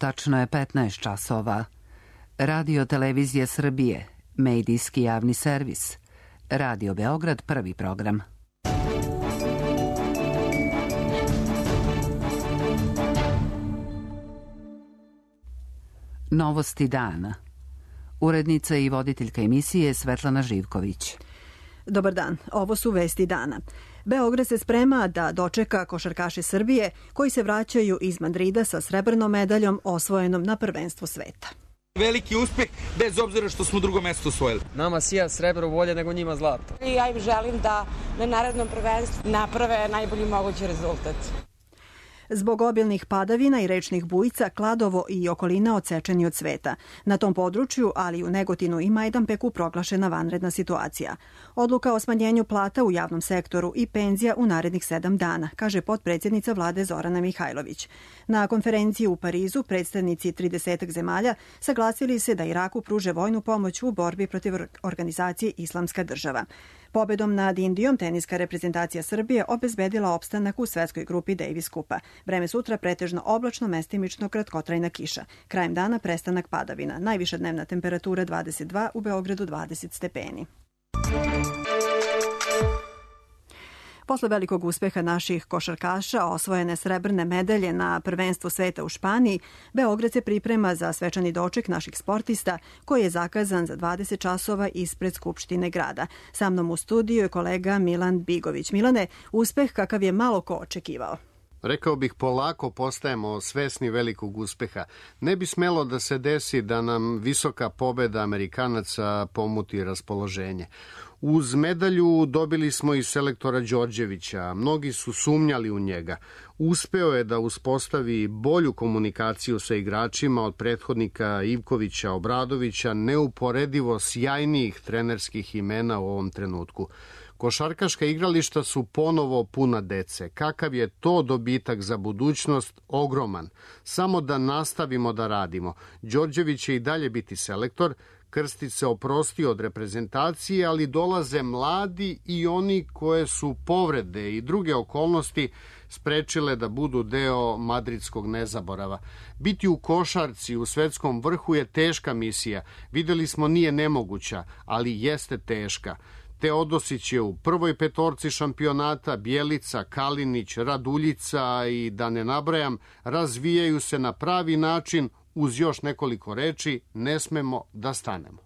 Tačno je 15 časova. Radio Televizije Srbije, medijski javni servis. Radio Beograd, prvi program. Novosti dana. Urednica i voditeljka emisije Svetlana Živković. Dobar dan, ovo su vesti dana. Beograd se sprema da dočeka košarkaše Srbije koji se vraćaju iz Madrida sa srebrnom medaljom osvojenom na prvenstvu sveta. Veliki uspeh, bez obzira što smo drugo mesto osvojili. Nama sija srebro bolje nego njima zlato. Ja im želim da na narednom prvenstvu naprave najbolji mogući rezultat. Zbog obilnih padavina i rečnih bujica, Kladovo i okolina odsečeni od sveta. Na tom području, ali u Negotinu i Majdanpeku, proglašena vanredna situacija. Odluka o smanjenju plata u javnom sektoru i penzija u narednih 7 dana, kaže potpredsjednica vlade Zorana Mihajlović. Na konferenciji u Parizu predstavnici 30 zemalja saglasili se da Iraku pruže vojnu pomoć u borbi protiv organizacije Islamska država. Pobedom nad Indijom teniska reprezentacija Srbije obezbedila opstanak u svetskoj grupi Davis Kupa. Vreme sutra pretežno oblačno, mestimično kratkotrajna kiša. Krajem dana prestanak padavina. Najviša dnevna temperatura 22, u Beogradu 20 stepeni. Posle velikog uspeha naših košarkaša, osvojene srebrne medalje na prvenstvu sveta u Španiji, Beograd se priprema za svečani doček naših sportista koji je zakazan za 20 časova ispred Skupštine grada. Sa mnom u studiju je kolega Milan Bigović. Milane, uspeh kakav je malo ko očekivao. Rekao bih, polako postajemo svesni velikog uspeha. Ne bi smelo da se desi da nam visoka pobeda Amerikanaca pomuti raspoloženje. Uz medalju dobili smo i selektora Đorđevića. Mnogi su sumnjali u njega. Uspeo je da uspostavi bolju komunikaciju sa igračima od prethodnika Ivkovića, Obradovića, neuporedivo sjajnijih trenerskih imena u ovom trenutku. Košarkaška igrališta su ponovo puna dece. Kakav je to dobitak za budućnost? Ogroman. Samo da nastavimo da radimo. Đorđević će i dalje biti selektor. Krstić se oprostio od reprezentacije, ali dolaze mladi i oni koje su povrede i druge okolnosti sprečile da budu deo madridskog nezaborava. Biti u košarci u svetskom vrhu je teška misija. Videli smo, nije nemoguća, ali jeste teška. Teodosić je u prvoj petorci šampionata, Bjelica, Kalinić, Raduljica i da ne nabrajam, razvijaju se na pravi način. Uz još nekoliko reči, ne smemo da stanemo.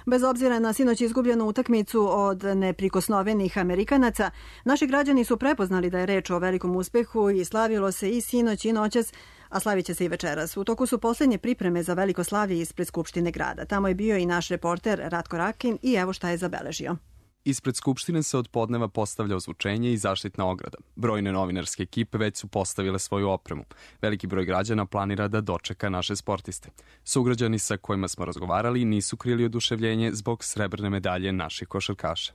Bez obzira na sinoć izgubljenu utakmicu od neprikosnovenih Amerikanaca, naši građani su prepoznali da je reč o velikom uspehu i slavilo se i sinoć i noćas, a slavit će se i večeras. U toku su poslednje pripreme za veliko slavlje ispred Skupštine grada. Tamo je bio i naš reporter Ratko Rakin i evo šta je zabeležio. Ispred Skupštine se od podneva postavlja ozvučenje i zaštitna ograda. Brojne novinarske ekipe već su postavile svoju opremu. Veliki broj građana planira da dočeka naše sportiste. Sugrađani sa kojima smo razgovarali nisu krili oduševljenje zbog srebrne medalje naših košarkaša.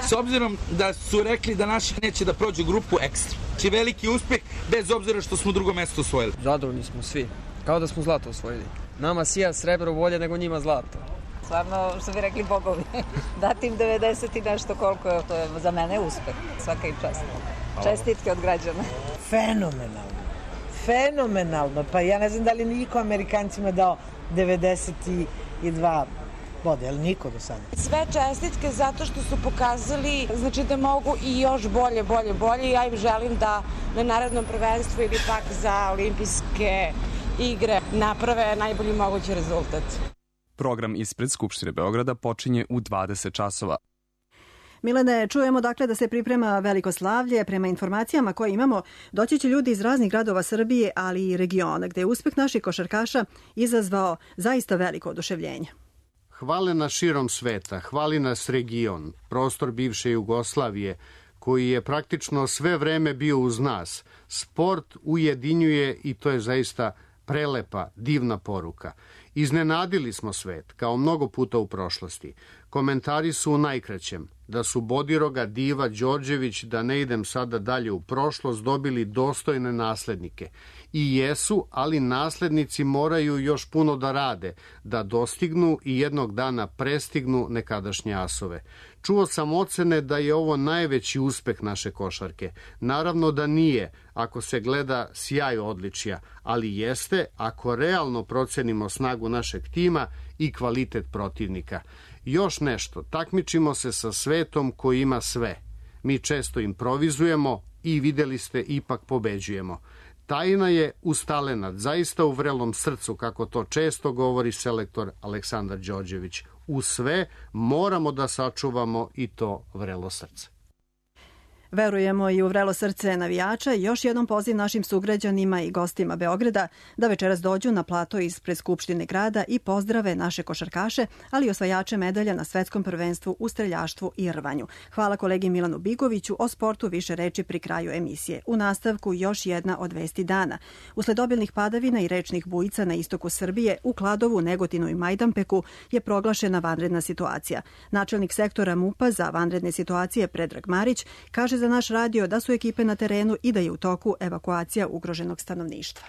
S obzirom da su rekli da naši neće da prođu grupu ekstra. Znači veliki uspeh, bez obzira što smo drugo mesto osvojili. Zadovoljni smo svi, kao da smo zlato osvojili. Nama sija srebro bolje nego njima zlato. Stvarno, što bi rekli bogovi, dati im 90 i nešto koliko je, to je za mene uspeh, svaka im čast. Čestitke od građana. Fenomenalno, pa ja ne znam da li niko Amerikancima dao 92 boda, ali niko do sada. Sve čestitke zato što su pokazali, znači da mogu i još bolje. Ja im želim da na narednom prvenstvu ili pak za olimpijske igre naprave najbolji mogući rezultat. Program ispred Skupštine Beograda počinje u 20 časova. Milene, čujemo dakle da se priprema veliko slavlje. Prema informacijama koje imamo, doći će ljudi iz raznih gradova Srbije, ali i regiona, gde je uspeh naših košarkaša izazvao zaista veliko oduševljenje. Hvale nas širom sveta, hvali nas region, prostor bivše Jugoslavije, koji je praktično sve vreme bio uz nas. Sport ujedinjuje i to je zaista prelepa, divna poruka. Iznenadili smo svet, kao mnogo puta u prošlosti. Komentari su u najkraćem. da su Bodiroga, Diva, Đorđević, da ne idem sada dalje u prošlost, dobili dostojne naslednike. I jesu, ali naslednici moraju još puno da rade, da dostignu i jednog dana prestignu nekadašnje asove. Čuo sam ocene da je ovo najveći uspeh naše košarke. Naravno da nije, ako se gleda sjaj odličja, ali jeste ako realno procenimo snagu našeg tima i kvalitet protivnika. Još nešto, takmičimo se sa svetom koji ima sve. Mi često improvizujemo i videli ste, ipak pobeđujemo. Tajna je uz talenat, zaista u vrelom srcu, kako to često govori selektor Aleksandar Đorđević. U sve moramo da sačuvamo i to vrelo srce. Verujemo i u vrelo srce navijača i još jednom poziv našim sugrađanima i gostima Beograda da večeras dođu na plato ispred Skupštine grada i pozdrave naše košarkaše, ali i osvajače medalja na svetskom prvenstvu u streljaštvu i rvanju. Hvala kolegi Milanu Bigoviću. O sportu više reči pri kraju emisije. U nastavku još jedna od vesti dana. Usled obilnih padavina i rečnih bujica na istoku Srbije, u Kladovu, Negotinu i Majdanpeku je proglašena vanredna situacija. Načelnik sektora MUP-a za vanredne situacije Predrag Marić kaže za naš radio da su ekipe na terenu i da je u toku evakuacija ugroženog stanovništva.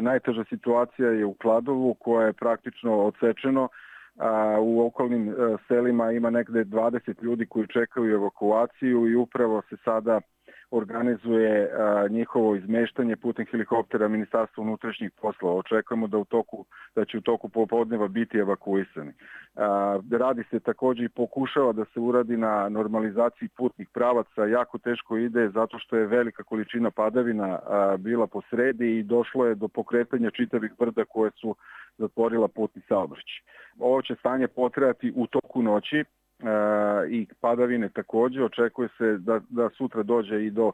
Najteža situacija je u Kladovu, koja je praktično odsečeno. U okolnim selima ima negde 20 ljudi koji čekaju evakuaciju i upravo se sada organizuje njihovo izmeštanje putem helikoptera Ministarstva unutrašnjih poslova. Očekujemo da će u toku popodneva biti evakuisani. Radi se također i pokušava da se uradi na normalizaciji putnih pravaca. Jako teško ide zato što je velika količina padavina bila po sredi i došlo je do pokretanja čitavih brda koje su zatvorila putni saobraćaj. Ovo će stanje potrajati u toku noći i padavine također. Očekuje se da sutra dođe i do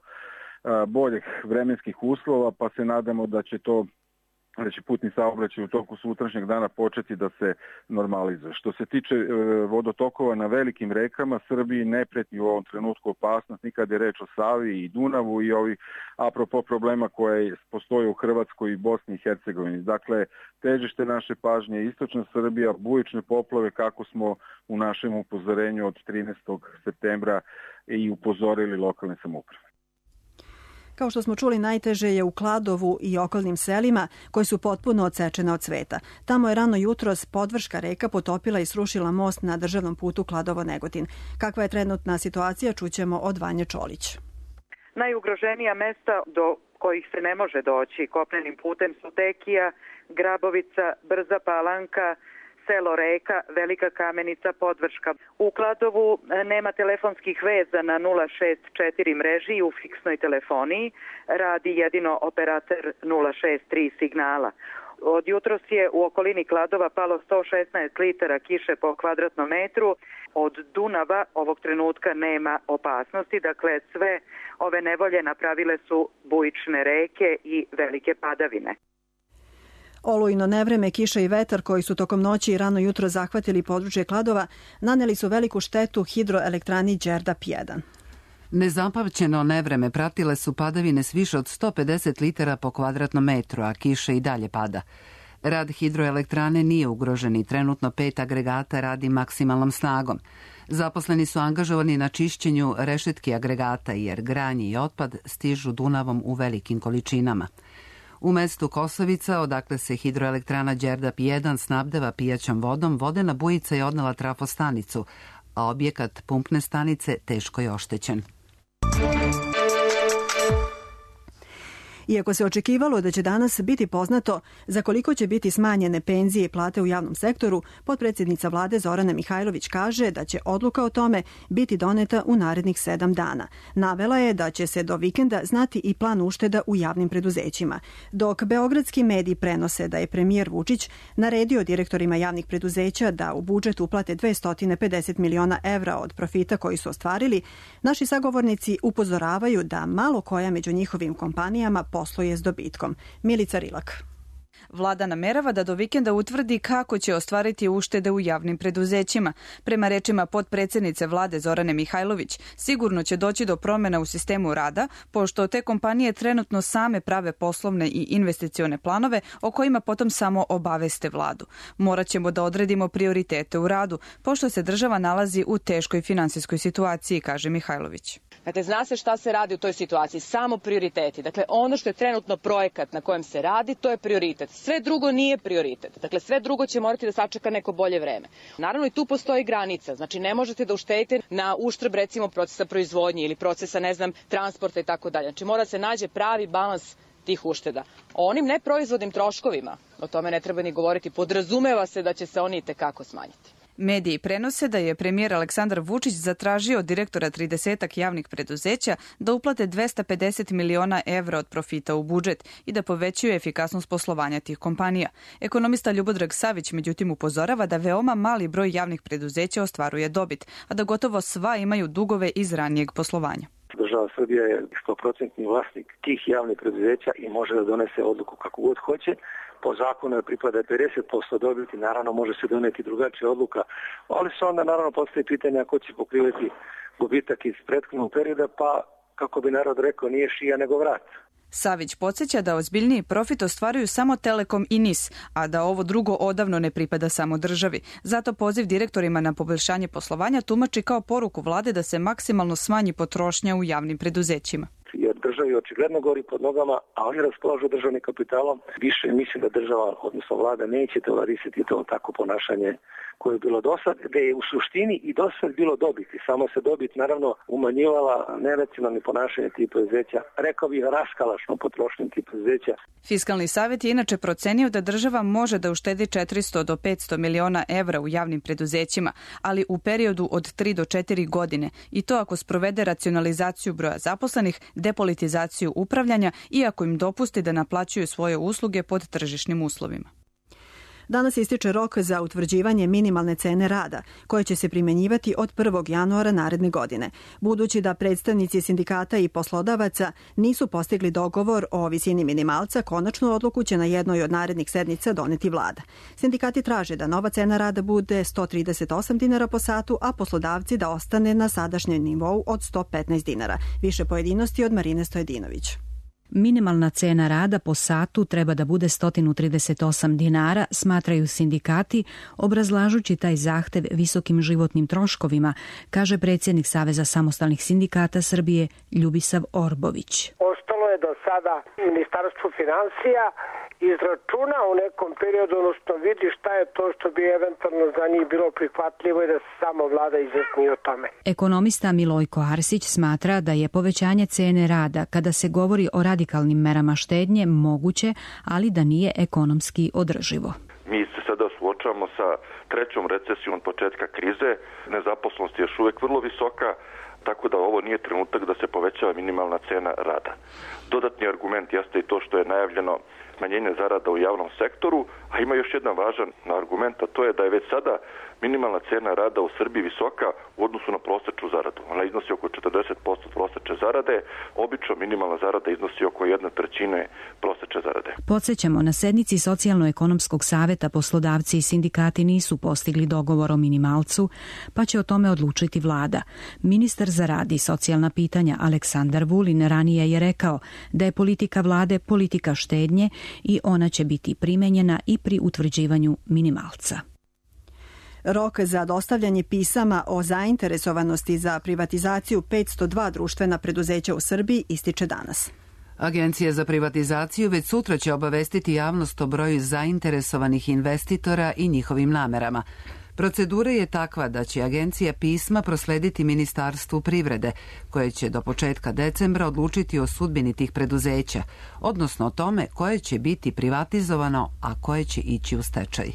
boljih vremenskih uslova, pa se nadamo da će putni saobraćaj u toku sutrašnjeg dana početi da se normalizuje. Što se tiče vodotokova na velikim rekama, Srbiji ne preti u ovom trenutku opasnost, nikad je reč o Savi i Dunavu i ovih apropo problema koje postoje u Hrvatskoj i Bosni i Hercegovini. Dakle, težište naše pažnje je istočna Srbija, bujične poplave, kako smo u našem upozorenju od 13. septembra i upozorili lokalne samouprave. Kao što smo čuli, najteže je u Kladovu i okolnim selima koji su potpuno odsečene od sveta. Tamo je rano jutros Podvrška reka potopila i srušila most na državnom putu Kladovo-Negotin. Kakva je trenutna situacija, čućemo od Vanje Čolić. Najugroženija mesta do kojih se ne može doći kopnenim putem su Tekija, Grabovica, Brza Palanka, selo Reka, Velika Kamenica, Podvrška. U Kladovu nema telefonskih veza na 064 mreži i u fiksnoj telefoniji. Radi jedino operator 063 signala. Od jutros je u okolini Kladova palo 116 litara kiše po kvadratnom metru. Od Dunava ovog trenutka nema opasnosti. Dakle, sve ove nevolje napravile su bujične reke i velike padavine. Olujno nevreme, kiša i vetar koji su tokom noći i rano jutro zahvatili područje Kladova naneli su veliku štetu hidroelektrani Đerdap 1. Nezapamćeno nevreme pratile su padavine s više od 150 litara po kvadratnom metru, a kiša i dalje pada. Rad hidroelektrane nije ugrožen i trenutno 5 agregata radi maksimalnom snagom. Zaposleni su angažovani na čišćenju rešetki agregata jer granje i otpad stižu Dunavom u velikim količinama. U mestu Kosovica, odakle se hidroelektrana Đerdap 1 snabdeva pijaćom vodom, vodena bujica je odnela trafostanicu, a objekat pumpne stanice teško je oštećen. Iako se očekivalo da će danas biti poznato za koliko će biti smanjene penzije i plate u javnom sektoru, potpredsjednica vlade Zorana Mihajlović kaže da će odluka o tome biti doneta u narednih 7 dana. Navela je da će se do vikenda znati i plan ušteda u javnim preduzećima. Dok beogradski mediji prenose da je premijer Vučić naredio direktorima javnih preduzeća da u budžet uplate 250 miliona evra od profita koji su ostvarili, naši sagovornici upozoravaju da malo koja među njihovim kompanijama posluje s dobitkom. Milica Rilak. Vlada namerava da do vikenda utvrdi kako će ostvariti uštede u javnim preduzećima. Prema rečima potpredsednice vlade Zorane Mihajlović, sigurno će doći do promjena u sistemu rada, pošto te kompanije trenutno same prave poslovne i investicione planove o kojima potom samo obaveste vladu. Morat ćemo da odredimo prioritete u radu, pošto se država nalazi u teškoj finansijskoj situaciji, kaže Mihajlović. Dakle, zna se šta se radi u toj situaciji, samo prioriteti. Dakle, ono što je trenutno projekat na kojem se radi, to je prioritet. Sve drugo nije prioritet. Dakle, sve drugo će morati da sačeka neko bolje vreme. Naravno, i tu postoji granica. Znači, ne možete da uštedite na uštrb, recimo, procesa proizvodnje ili procesa, transporta i tako dalje. Znači, mora se nađe pravi balans tih ušteda. O onim neproizvodnim troškovima, o tome ne treba ni govoriti, podrazumeva se da će se oni itekako smanjiti. Mediji prenose da je premijer Aleksandar Vučić zatražio od direktora 30 javnih preduzeća da uplate 250 miliona evra od profita u budžet i da povećaju efikasnost poslovanja tih kompanija. Ekonomista Ljubodrag Savić međutim upozorava da veoma mali broj javnih preduzeća ostvaruje dobit, a da gotovo sva imaju dugove iz ranijeg poslovanja. Država Srbija je 100% vlasnik tih javnih preduzeća i može da donese odluku kako god hoće. Po zakonu je pripada 50% dobiti, naravno može se doneti drugačija odluka, ali se onda naravno postoji pitanje ko će pokrivati gubitak iz prethodnog perioda, pa kako bi narod rekao nije šija nego vrat. Savić podsjeća da ozbiljniji profit ostvaruju samo Telekom i NIS, a da ovo drugo odavno ne pripada samo državi. Zato poziv direktorima na poboljšanje poslovanja tumači kao poruku vlade da se maksimalno smanji potrošnja u javnim preduzećima. Jer državi očigledno gori pod nogama, a oni raspolažu državnim kapitalom. Više mislim da država, odnosno vlada, neće tolerisati to tako ponašanje koje je bilo dosad, da je u suštini i dosad bilo dobiti. Samo se dobit naravno umanjivala neracionalno ponašanje tih preduzeća. Rekao bih raskalašno potrošnje tih preduzeća. Fiskalni savjet je inače procenio da država može da uštedi 400 do 500 miliona evra u javnim preduzećima, ali u periodu od 3 do 4 godine, i to ako sprovede racionalizaciju broja zaposlenih, depolitizaciju upravljanja i ako im dopusti da naplaćuju svoje usluge pod tržišnim uslovima. Danas ističe rok za utvrđivanje minimalne cene rada, koje će se primjenjivati od 1. januara naredne godine. Budući da predstavnici sindikata i poslodavaca nisu postigli dogovor o visini minimalca, konačnu odluku će na jednoj od narednih sednica doneti vlada. Sindikati traže da nova cena rada bude 138 dinara po satu, a poslodavci da ostane na sadašnjem nivou od 115 dinara. Više pojedinosti od Marine Stojedinović. Minimalna cena rada po satu treba da bude 138 dinara, smatraju sindikati, obrazlažući taj zahtev visokim životnim troškovima, kaže predsjednik Saveza samostalnih sindikata Srbije Ljubisav Orbović. Ostalo je do sada Ministarstvo finansija izračuna u nekom periodu, odnosno vidi šta je to što bi eventualno za njih bilo prihvatljivo i da se samo vlada izjasni o tome. Ekonomista Milojko Arsić smatra da je povećanje cene rada kada se govori o radikalnim merama štednje moguće, ali da nije ekonomski održivo. Mi se sada suočavamo sa trećom recesijom od početka krize, nezaposlenost je još uvijek vrlo visoka, tako da ovo nije trenutak da se povećava minimalna cena rada. Dodatni argument jeste i to što je najavljeno smanjenje zarada u javnom sektoru, a ima još jedan važan argument, a to je da je već sada minimalna cena rada u Srbiji visoka u odnosu na prosječnu zaradu. Ona iznosi oko 40% prosječne zarade, obično minimalna zarada iznosi oko 1/3 prosječne zarade. Podsjećamo, na sednici Socijalno-ekonomskog saveta poslodavci i sindikati nisu postigli dogovor o minimalcu, pa će o tome odlučiti vlada. Ministar za rad i socijalna pitanja Aleksandar Vulin ranije je rekao da je politika vlade politika štednje i ona će biti primenjena i pri utvrđivanju minimalca. Rok za dostavljanje pisama o zainteresovanosti za privatizaciju 502 društvena preduzeća u Srbiji ističe danas. Agencija za privatizaciju već sutra će obavestiti javnost o broju zainteresovanih investitora i njihovim namerama. Procedura je takva da će agencija pisma proslediti Ministarstvu privrede, koje će do početka decembra odlučiti o sudbini tih preduzeća, odnosno o tome koje će biti privatizovano, a koje će ići u stečaj.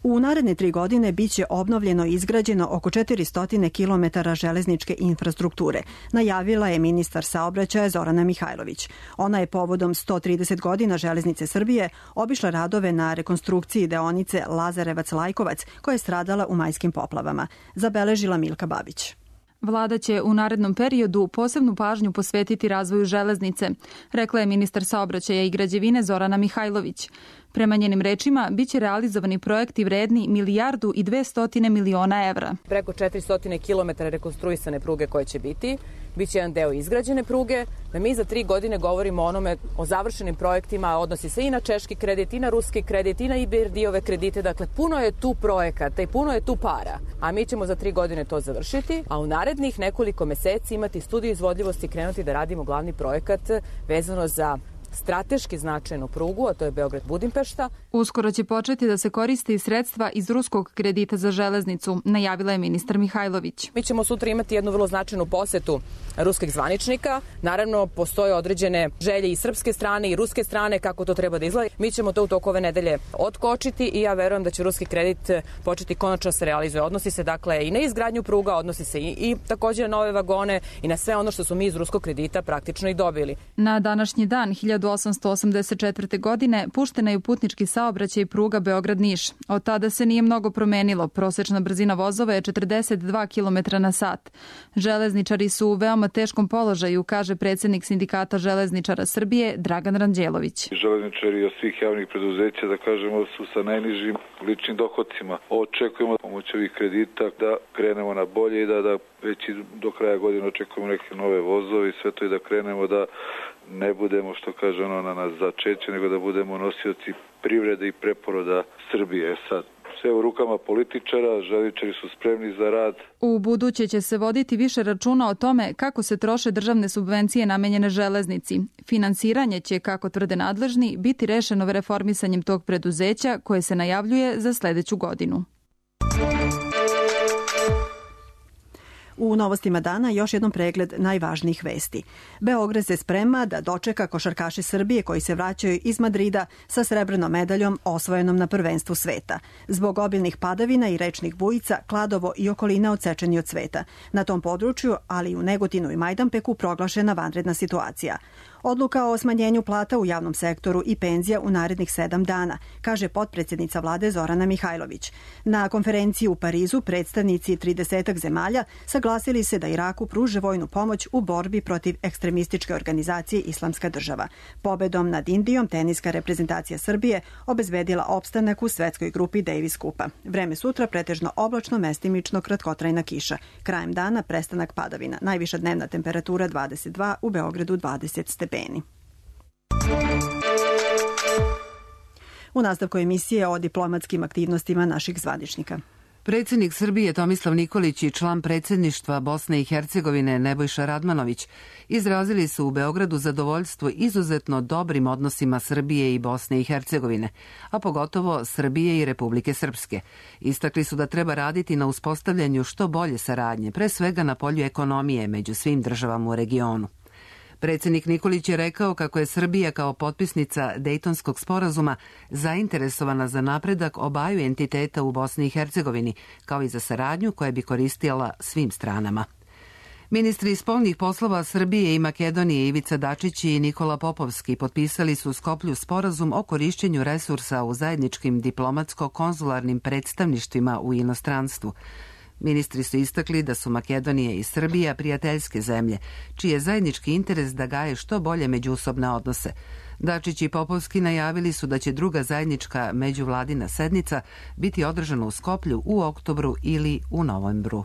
U naredne 3 godine biće obnovljeno i izgrađeno oko 400 km železničke infrastrukture, najavila je ministar saobraćaja Zorana Mihajlović. Ona je povodom 130 godina Železnice Srbije obišla radove na rekonstrukciji deonice Lazarevac-Lajkovac, koja je stradala u majskim poplavama. Zabeležila Milka Babić. Vlada će u narednom periodu posebnu pažnju posvetiti razvoju železnice, rekla je ministar saobraćaja i građevine Zorana Mihajlović. Prema njenim rečima, biće realizovani projekti vredni 1.200.000.000 evra. Preko 400 km rekonstruisane pruge koje će biti, biće jedan deo izgrađene pruge, da mi za 3 godine govorimo o završenim projektima, odnosi se i na češki kredit, i na ruski kredit, i na IBRD-ove kredite, dakle puno je tu projekata i puno je tu para, a mi ćemo za 3 godine to završiti, a u narednih nekoliko meseci imati studiju izvodljivosti i krenuti da radimo glavni projekat vezano za strateški značajnu prugu, a to je Beograd-Budimpešta. Uskoro će početi da se koriste i sredstva iz ruskog kredita za železnicu, najavila je ministar Mihajlović. Mi ćemo sutra imati jednu vrlo značajnu posetu ruskih zvaničnika. Naravno, postoje određene želje i srpske strane i ruske strane kako to treba da izgleda. Mi ćemo to u toku ove nedelje otkočiti i ja verujem da će ruski kredit početi konačno se realizuje. Odnosi se dakle i na izgradnju pruga, odnosi se i također na nove vagone i na sve ono što smo mi iz ruskog kredita praktično i dobili. Na današnji dan 1884. godine puštena je u putnički saobraćaj pruga Beograd-Niš. Od tada se nije mnogo promenilo. Prosečna brzina vozova je 42 km na sat. Železničari su u veoma teškom položaju, kaže predsjednik Sindikata železničara Srbije Dragan Ranđelović. Železničari od svih javnih preduzeća, da kažemo, su sa najnižim ličnim dohodcima. Očekujemo pomoć ovih kredita da krenemo na bolje i da već do kraja godine očekujemo neke nove vozove i sve to i da krenemo da ne budemo, što kaže na nas začeće, nego da budemo nosioci privrede i preporoda Srbije. Sad, sve u rukama političara, železničari su spremni za rad. U buduće će se voditi više računa o tome kako se troše državne subvencije namenjene železnici. Finansiranje će, kako tvrde nadležni, biti rešeno reformisanjem tog preduzeća koje se najavljuje za sledeću godinu. U novostima dana još jednom pregled najvažnijih vesti. Beograd se sprema da dočeka košarkaše Srbije koji se vraćaju iz Madrida sa srebrnom medaljom osvojenom na prvenstvu sveta. Zbog obilnih padavina i rečnih bujica, Kladovo i okolina odsečeni od sveta. Na tom području, ali i u Negotinu i Majdanpeku, proglašena vanredna situacija. Odluka o smanjenju plata u javnom sektoru i penzija u narednih 7 dana, kaže potpredsjednica vlade Zorana Mihajlović. Na konferenciji u Parizu predstavnici 30 zemalja saglasili se da Iraku pruže vojnu pomoć u borbi protiv ekstremističke organizacije Islamska država. Pobedom nad Indijom teniska reprezentacija Srbije obezbedila opstanak u svetskoj grupi Davis Kupa. Vreme sutra pretežno oblačno, mestimično, kratkotrajna kiša. Krajem dana prestanak padavina. Najviša dnevna temperatura 22, u Beogradu 20 stepeni. U nastavku emisije o diplomatskim aktivnostima naših zvaničnika. Predsjednik Srbije Tomislav Nikolić i član predsjedništva Bosne i Hercegovine Nebojša Radmanović izrazili su u Beogradu zadovoljstvo izuzetno dobrim odnosima Srbije i Bosne i Hercegovine, a pogotovo Srbije i Republike Srpske. Istakli su da treba raditi na uspostavljanju što bolje saradnje, pre svega na polju ekonomije među svim državama u regionu. Predsjednik Nikolić je rekao kako je Srbija kao potpisnica Dejtonskog sporazuma zainteresovana za napredak obaju entiteta u Bosni i Hercegovini, kao i za saradnju koja bi koristila svim stranama. Ministri spoljnih poslova Srbije i Makedonije Ivica Dačić i Nikola Popovski potpisali su u Skoplju sporazum o korišćenju resursa u zajedničkim diplomatsko-konzularnim predstavništvima u inostranstvu. Ministri su istakli da su Makedonija i Srbija prijateljske zemlje, čiji je zajednički interes da gaje što bolje međusobne odnose. Dačić i Popovski najavili su da će druga zajednička međuvladina sednica biti održana u Skoplju u oktobru ili u novembru.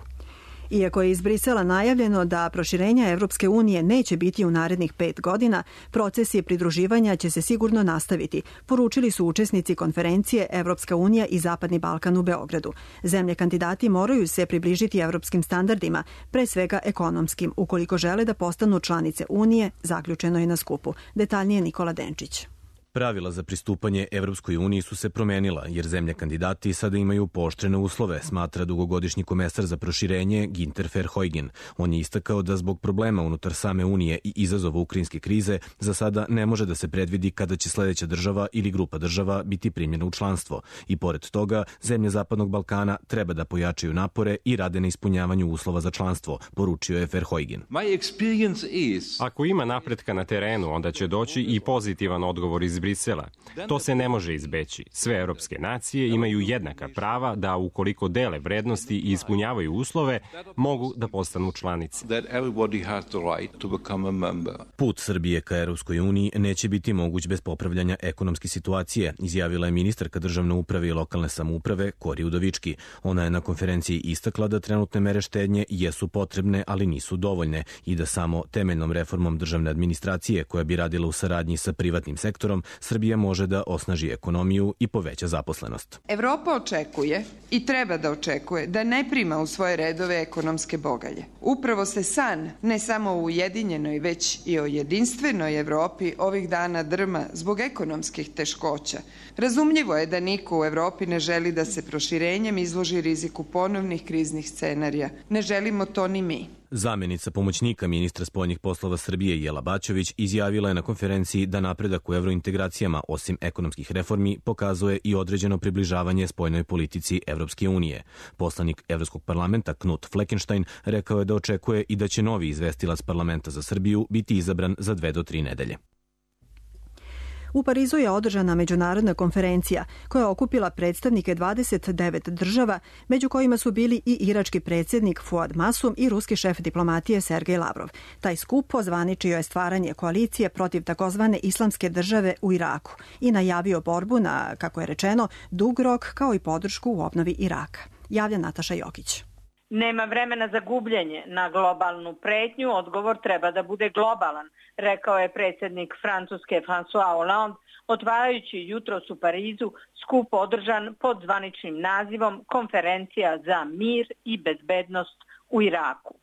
Iako je iz Brisela najavljeno da proširenja Evropske unije neće biti u narednih 5 godina, procesi pridruživanja će se sigurno nastaviti, poručili su učesnici konferencije Evropska unija i Zapadni Balkan u Beogradu. Zemlje kandidati moraju se približiti evropskim standardima, pre svega ekonomskim, ukoliko žele da postanu članice Unije, zaključeno je na skupu. Detaljnije Nikola Denčić. Pravila za pristupanje Evropskoj uniji su se promenila, jer zemlje kandidati sada imaju pooštrene uslove, smatra dugogodišnji komesar za proširenje Ginter Verheugen. On je istakao da zbog problema unutar same Unije i izazova ukrajinske krize za sada ne može da se predvidi kada će sledeća država ili grupa država biti primljena u članstvo. I pored toga, zemlje Zapadnog Balkana treba da pojačaju napore i rade na ispunjavanju uslova za članstvo, poručio je Verheugen. Ako ima napretka na terenu, onda će doći i pozitivan odgovor iz Brisela. To se ne može izbeći. Sve evropske nacije imaju jednaka prava da ukoliko dele vrednosti i ispunjavaju uslove, mogu da postanu članice. Put Srbije ka Evropskoj uniji neće biti moguć bez popravljanja ekonomske situacije, izjavila je ministarka državne uprave i lokalne samouprave Kori Udovički. Ona je na konferenciji istakla da trenutne mere štednje jesu potrebne, ali nisu dovoljne i da samo temeljnom reformom državne administracije koja bi radila u saradnji sa privatnim sektorom, Srbija može da osnaži ekonomiju i poveća zaposlenost. Evropa očekuje i treba da očekuje da ne prima u svoje redove ekonomske bogalje. Upravo se san, ne samo u ujedinjenoj, već i o jedinstvenoj Evropi ovih dana drma zbog ekonomskih teškoća. Razumljivo je da niko u Evropi ne želi da se proširenjem izloži riziku ponovnih kriznih scenarija. Ne želimo to ni mi. Zamenica pomoćnika ministra spoljnih poslova Srbije Jela Baćović izjavila je na konferenciji da napredak u evrointegracijama, osim ekonomskih reformi, pokazuje i određeno približavanje spoljnoj politici Evropske unije. Poslanik Evropskog parlamenta Knut Fleckenstein rekao je da očekuje i da će novi izvestilac parlamenta za Srbiju biti izabran za 2 do 3 nedelje. U Parizu je održana međunarodna konferencija koja je okupila predstavnike 29 država, među kojima su bili i irački predsjednik Fuad Masum i ruski šef diplomatije Sergej Lavrov. Taj skup ozvaničio je stvaranje koalicije protiv takozvane islamske države u Iraku i najavio borbu na, kako je rečeno, dug rok kao i podršku u obnovi Iraka. Javlja Nataša Jokić. Nema vremena za gubljenje. Na globalnu pretnju odgovor treba da bude globalan, rekao je predsjednik Francuske François Hollande, otvarajući jutros u Parizu skup održan pod zvaničnim nazivom Konferencija za mir i bezbednost u Iraku.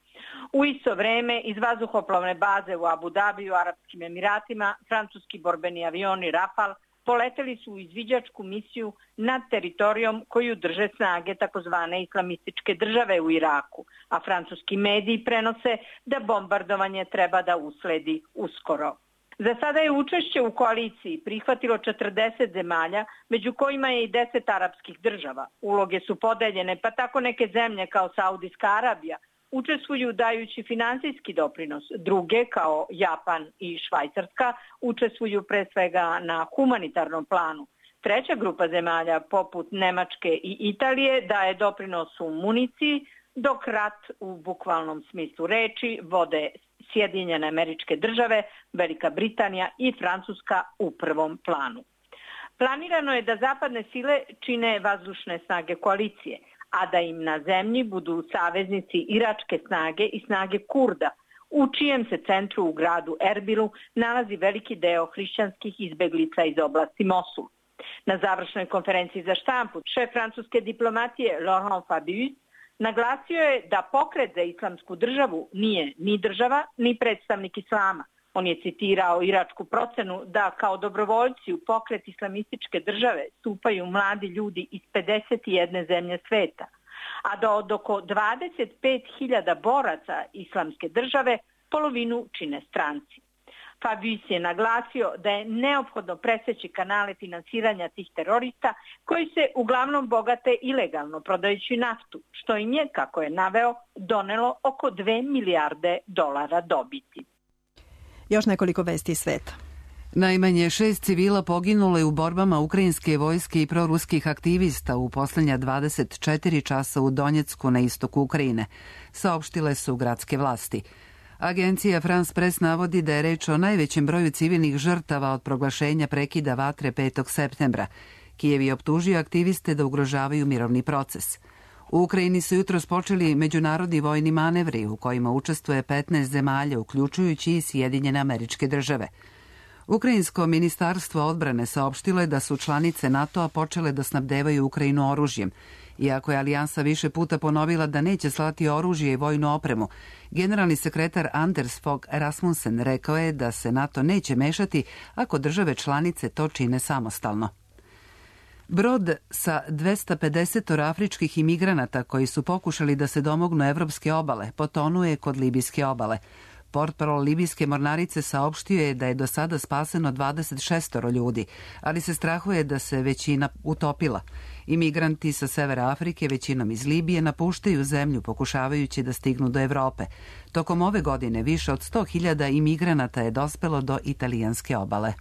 U isto vreme iz vazduhoplovne baze u Abu Dabiju, Arapskim Emiratima, francuski borbeni avioni Rafale poleteli su u izviđačku misiju nad teritorijom koju drže snage takozvane islamističke države u Iraku, a francuski mediji prenose da bombardovanje treba da usledi uskoro. Za sada je učešće u koaliciji prihvatilo 40 zemalja, među kojima je i 10 arapskih država. Uloge su podeljene, pa tako neke zemlje kao Saudijska Arabija učestvuju dajući finansijski doprinos. Druge, kao Japan i Švajcarska, učestvuju pre svega na humanitarnom planu. Treća grupa zemalja, poput Nemačke i Italije, daje doprinos u municiji, dok rat u bukvalnom smislu reči vode Sjedinjene Američke Države, Velika Britanija i Francuska u prvom planu. Planirano je da zapadne sile čine vazdušne snage koalicije, a da im na zemlji budu saveznici iračke snage i snage Kurda, u čijem se centru u gradu Erbilu nalazi veliki deo hrišćanskih izbeglica iz oblasti Mosul. Na završnoj konferenciji za štampu šef francuske diplomatije Laurent Fabius naglasio je da pokret za islamsku državu nije ni država, ni predstavnik islama. On je citirao iračku procenu da kao dobrovoljci u pokret islamističke države stupaju mladi ljudi iz 51 zemlje sveta, a da od oko 25.000 boraca islamske države polovinu čine stranci. Fabius je naglasio da je neophodno preseći kanale finansiranja tih terorista koji se uglavnom bogate ilegalno prodajući naftu, što im je, kako je naveo, donelo oko 2 milijarde dolara dobiti. Još nekoliko vesti iz sveta. Najmanje 6 civila poginulo je u borbama ukrajinske vojske i proruskih aktivista u posljednja 24 časa u Donjecku na istoku Ukrajine, saopštile su gradske vlasti. Agencija France Press navodi da je reč o najvećem broju civilnih žrtava od proglašenja prekida vatre 5. septembra. Kijev je optužio aktiviste da ugrožavaju mirovni proces. U Ukrajini su jutros počeli međunarodni vojni manevri u kojima učestvuje 15 zemalja, uključujući i Sjedinjene Američke Države. Ukrajinsko ministarstvo odbrane saopštilo je da su članice NATO-a počele da snabdevaju Ukrajinu oružjem. Iako je alijansa više puta ponovila da neće slati oružje i vojnu opremu, generalni sekretar Anders Fogh Rasmussen rekao je da se NATO neće mešati ako države članice to čine samostalno. Brod sa 250 afričkih imigranata koji su pokušali da se domognu evropske obale potonuje kod libijske obale. Portparol libijske mornarice saopštio je da je do sada spaseno 26 ljudi, ali se strahuje da se većina utopila. Imigranti sa severa Afrike, većinom iz Libije, napuštaju zemlju pokušavajući da stignu do Evrope. Tokom ove godine više od 100.000 imigranata je dospelo do italijanske obale.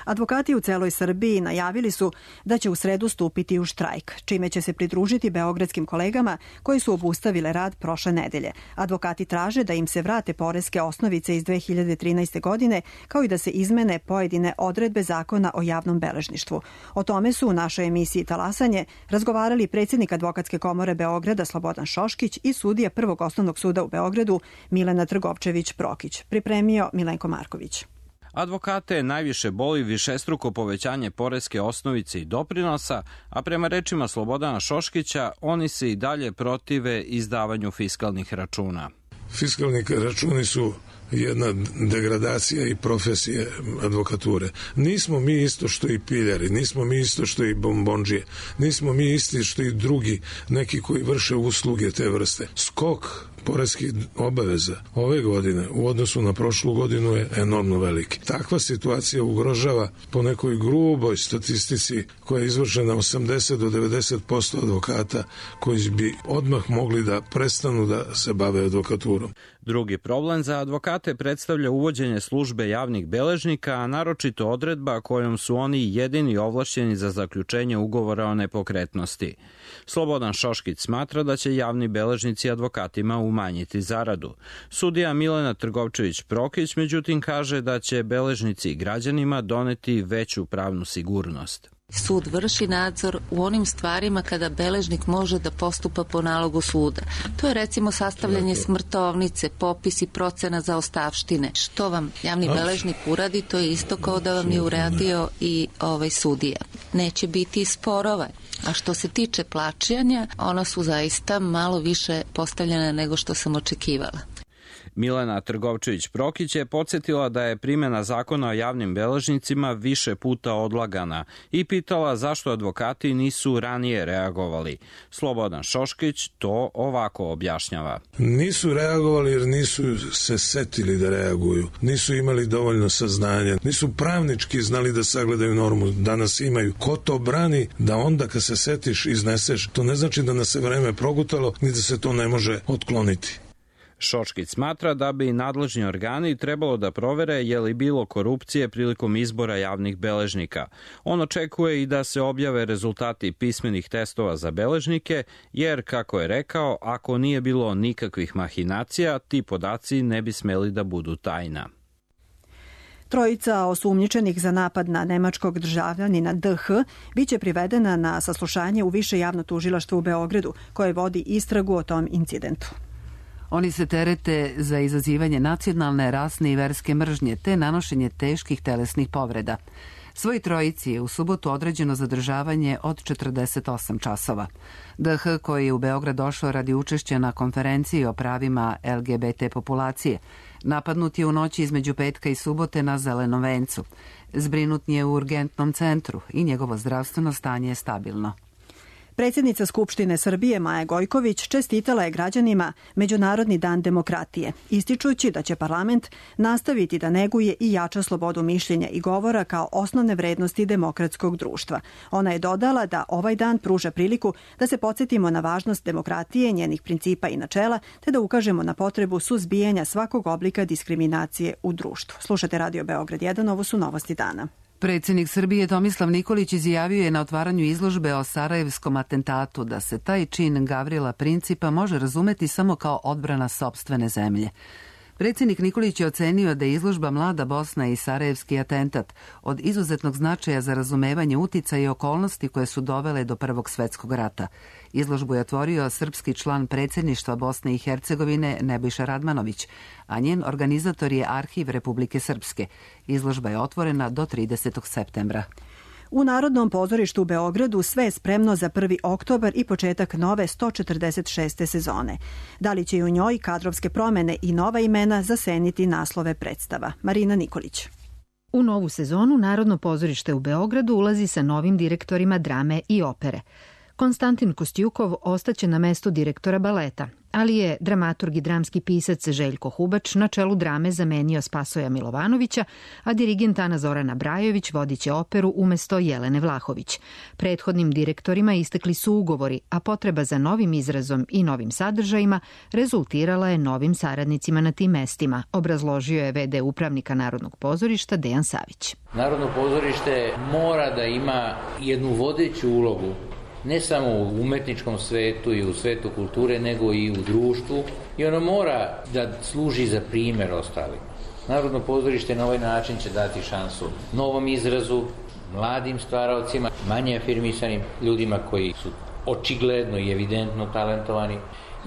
Advokati u celoj Srbiji najavili su da će u sredu stupiti u štrajk, čime će se pridružiti beogradskim kolegama koji su obustavile rad prošle nedelje. Advokati traže da im se vrate poreske osnovice iz 2013. godine, kao i da se izmene pojedine odredbe zakona o javnom beležništvu. O tome su u našoj emisiji Talasanje razgovarali predsjednik Advokatske komore Beograda Slobodan Šoškić i sudija Prvog osnovnog suda u Beogradu Milena Trgovčević-Prokić. Pripremio Milenko Marković. Advokate najviše boli višestruko povećanje poreske osnovice i doprinosa, a prema rečima Slobodana Šoškića, oni se i dalje protive izdavanju fiskalnih računa. Fiskalni računi su jedna degradacija i profesije advokature. Nismo mi isto što i piljari, nismo mi isto što i bombondžije, nismo mi isti što i drugi neki koji vrše usluge te vrste. Skok poreskih obaveza ove godine u odnosu na prošlu godinu je enormno veliki. Takva situacija ugrožava po nekoj gruboj statistici koja je izvršena 80 do 90% advokata koji bi odmah mogli da prestanu da se bave advokaturom. Drugi problem za advokate predstavlja uvođenje službe javnih beležnika, a naročito odredba kojom su oni jedini ovlašćeni za zaključenje ugovora o nepokretnosti. Slobodan Šoškić smatra da će javni beležnici advokatima umanjiti zaradu. Sudija Milena Trgovčević-Prokić međutim kaže da će beležnici građanima doneti veću pravnu sigurnost. Sud vrši nadzor u onim stvarima kada beležnik može da postupa po nalogu suda. To je recimo sastavljanje smrtovnice, popis i procena zaostavštine. Što vam javni beležnik uradi, to je isto kao da vam je uradio i sudija. Neće biti sporova. A što se tiče plaćanja, ona su zaista malo više postavljena nego što sam očekivala. Milena Trgovčević-Prokić je podsjetila da je primjena zakona o javnim beležnicima više puta odlagana i pitala zašto advokati nisu ranije reagovali. Slobodan Šoškić to ovako objašnjava. Nisu reagovali jer nisu se setili da reaguju, nisu imali dovoljno saznanja, nisu pravnički znali da sagledaju normu, danas imaju. Ko to brani da onda kad se setiš izneseš, to ne znači da nas se vreme progutalo ni da se to ne može otkloniti. Šoškić smatra da bi nadležni organi trebalo da provere je li bilo korupcije prilikom izbora javnih beležnika. On očekuje i da se objave rezultati pismenih testova za beležnike, jer, kako je rekao, ako nije bilo nikakvih mahinacija, ti podaci ne bi smeli da budu tajna. Trojica osumnjičenih za napad na nemačkog državljanina DH biće privedena na saslušanje u Više javno tužilaštvo u Beogradu, koje vodi istragu o tom incidentu. Oni se terete za izazivanje nacionalne, rasne i verske mržnje te nanošenje teških telesnih povreda. Svoj trojici je u subotu određeno zadržavanje od 48 časova. DH, koji je u Beograd došao radi učešća na konferenciji o pravima LGBT populacije, napadnut je u noći između petka i subote na Zelenom vencu. Zbrinut je u urgentnom centru i njegovo zdravstveno stanje je stabilno. Predsjednica Skupštine Srbije Maja Gojković čestitala je građanima Međunarodni dan demokratije, ističući da će parlament nastaviti da neguje i jača slobodu mišljenja i govora kao osnovne vrednosti demokratskog društva. Ona je dodala da ovaj dan pruža priliku da se podsjetimo na važnost demokratije, njenih principa i načela, te da ukažemo na potrebu suzbijanja svakog oblika diskriminacije u društvu. Slušate Radio Beograd 1, ovo su novosti dana. Predsjednik Srbije Tomislav Nikolić izjavio je na otvaranju izložbe o sarajevskom atentatu da se taj čin Gavrila Principa može razumeti samo kao odbrana sopstvene zemlje. Predsjednik Nikolić je ocenio da je izložba Mlada Bosna i sarajevski atentat od izuzetnog značaja za razumevanje uticaja i okolnosti koje su dovele do Prvog svjetskog rata. Izložbu je otvorio srpski član predsjedništva Bosne i Hercegovine Nebojša Radmanović, a njen organizator je Arhiv Republike Srpske. Izložba je otvorena do 30. septembra. U Narodnom pozorištu u Beogradu sve je spremno za 1. oktobar i početak nove 146. sezone. Da li će i u njoj kadrovske promjene i nova imena zaseniti naslove predstava? Marina Nikolić. U novu sezonu Narodno pozorište u Beogradu ulazi sa novim direktorima drame i opere. Konstantin Kostjukov ostaće na mestu direktora baleta, ali je dramaturg i dramski pisac Željko Hubač na čelu drame zamenio Spasoja Milovanovića, a dirigent Ana Zorana Brajović vodiće operu umesto Jelene Vlahović. Prethodnim direktorima istekli su ugovori, a potreba za novim izrazom i novim sadržajima rezultirala je novim saradnicima na tim mestima, obrazložio je v.d. upravnika Narodnog pozorišta Dejan Savić. Narodno pozorište mora da ima jednu vodeću ulogu, ne samo u umetničkom svetu i u svetu kulture, nego i u društvu, i ono mora da služi za primjer ostalima. Narodno pozorište na ovaj način će dati šansu novom izrazu, mladim stvaraocima, manje afirmisanim ljudima koji su očigledno i evidentno talentovani,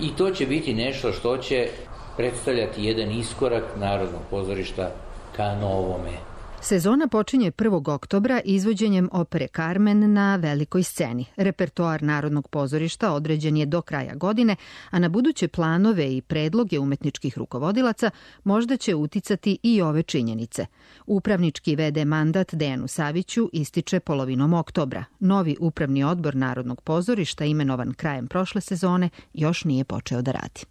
i to će biti nešto što će predstavljati jedan iskorak Narodnog pozorišta ka novome. Sezona počinje 1. oktobra izvođenjem opere Carmen na velikoj sceni. Repertoar Narodnog pozorišta određen je do kraja godine, a na buduće planove i predloge umetničkih rukovodilaca možda će uticati i ove činjenice. Upravnički v.d. mandat Dejanu Saviću ističe polovinom oktobra. Novi upravni odbor Narodnog pozorišta, imenovan krajem prošle sezone, još nije počeo da radi.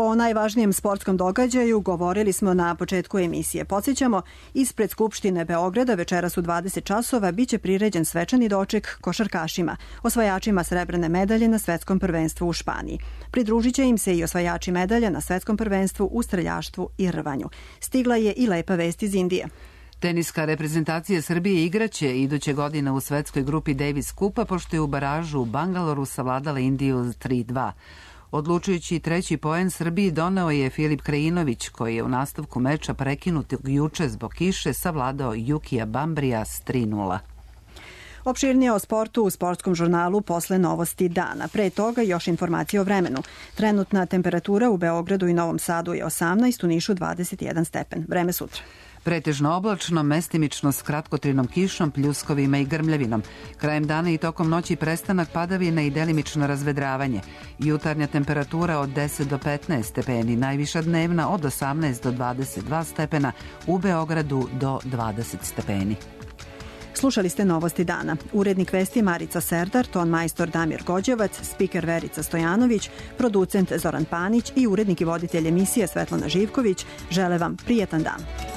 O najvažnijem sportskom događaju govorili smo na početku emisije. Podsjećamo, ispred Skupštine Beograda večeras u 20 časova biće priređen svečani doček košarkašima, osvajačima srebrne medalje na svetskom prvenstvu u Španiji. Pridružit će im se i osvajači medalja na svetskom prvenstvu u streljaštvu i rvanju. Stigla je i lepa vest iz Indije. Teniska reprezentacija Srbije igraće iduće godine u svetskoj grupi Davis Kupa, pošto je u baražu u Bangaloru savladala Indiju 3-2. Odlučujući treći poen Srbiji doneo je Filip Krajinović, koji je u nastavku meča prekinutog juče zbog kiše savladao Jukija Bambrija s 3-0. Opširnije o sportu u sportskom žurnalu posle novosti dana. Pre toga još informacije o vremenu. Trenutna temperatura u Beogradu i Novom Sadu je 18, u Nišu 21 stepen. Vreme sutra. Pretežno oblačno, mestimično s kratkotrajnom kišom, pljuskovima i grmljavinom. Krajem dana i tokom noći prestanak padavina i delimično razvedravanje. Jutarnja temperatura od 10 do 15 stepeni, najviša dnevna od 18 do 22 stepena, u Beogradu do 20 stepeni. Slušali ste novosti dana. Urednik vesti Marica Serdar, ton majstor Damir Gođevac, spiker Verica Stojanović, producent Zoran Panić i urednik i voditelj emisije Svetlana Živković žele vam prijetan dan.